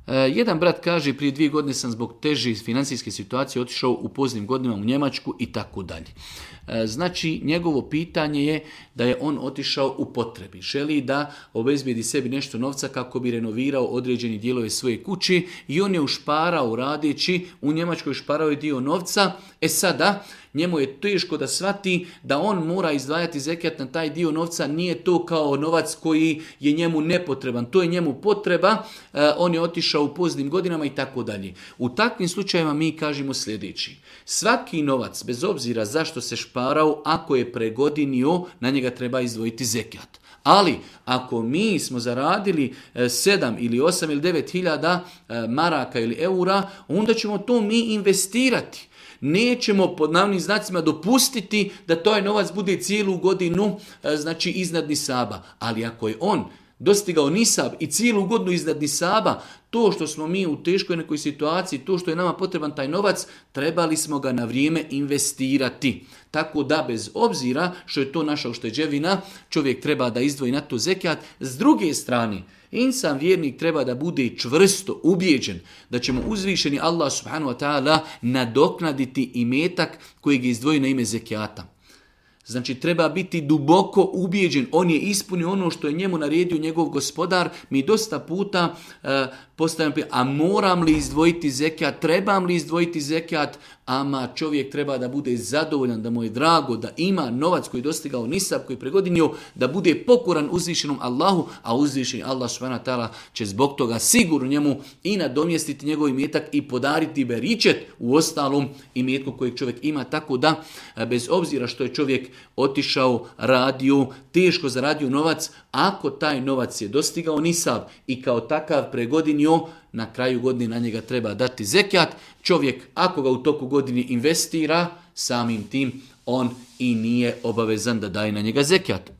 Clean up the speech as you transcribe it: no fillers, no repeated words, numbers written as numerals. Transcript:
Jedan brat kaže, prije 2 godine sam zbog teže financijske situacije otišao u poznim godinama u Njemačku i tako dalje. Znači, njegovo pitanje je da je on otišao u potrebi. Želi da obezbijedi sebi nešto novca kako bi renovirao određeni dijelove svoje kući i on je ušparao radeći, u Njemačkoj ušparao je dio novca. Sada, njemu je teško da shvati da on mora izdvajati zekijat na taj dio novca, nije to kao novac koji je njemu nepotreban, to je njemu potreba, on je otišao u poznim godinama i tako dalje. U takvim slučajevima mi kažemo sljedeći: svaki novac, bez obzira zašto se šparao, ako je pregodinio, na njega treba izdvojiti zekijat. Ali, ako mi smo zaradili 7 ili 8 ili 9 hiljada maraka ili eura, onda ćemo to mi investirati. Nećemo pod navodnim znacima dopustiti da taj novac bude cijelu godinu znači iznad nisaba. Ali ako je on dostigao nisab i cijelu godinu iznad nisaba, to što smo mi u teškoj nekoj situaciji, to što je nama potreban taj novac, trebali smo ga na vrijeme investirati. Tako da bez obzira što je to naša ušteđevina, čovjek treba da izdvoji na to zekijat. S druge strane, insan vjernik treba da bude čvrsto ubijeđen da će mu uzvišeni Allah subhanahu wa ta'ala nadoknaditi imetak kojeg je izdvojio na ime zekijata. Znači, treba biti duboko ubijeđen. On je ispunio ono što je njemu naredio njegov gospodar. Mi dosta puta postavljamo pitanje, a moram li izdvojiti zekijat, trebam li izdvojiti zekijat, ama čovjek treba da bude zadovoljan, da mu je drago, da ima novac koji je dostigao nisab, koji je pregodinio, da bude pokoran uzvišenom Allahu, a uzvišeni Allah subhanahu wa ta'ala će zbog toga sigurno njemu i nadomjestiti njegov imetak i podariti beričet u ostalom imetku kojeg čovjek ima. Tako da, bez obzira što je čovjek otišao, radio, teško zaradio novac, ako taj novac je dostigao nisab i kao takav pregodinio, na kraju godine na njega treba dati zekijat. Čovjek, ako ga u toku godine investira, samim tim on i nije obavezan da daje na njega zekijat.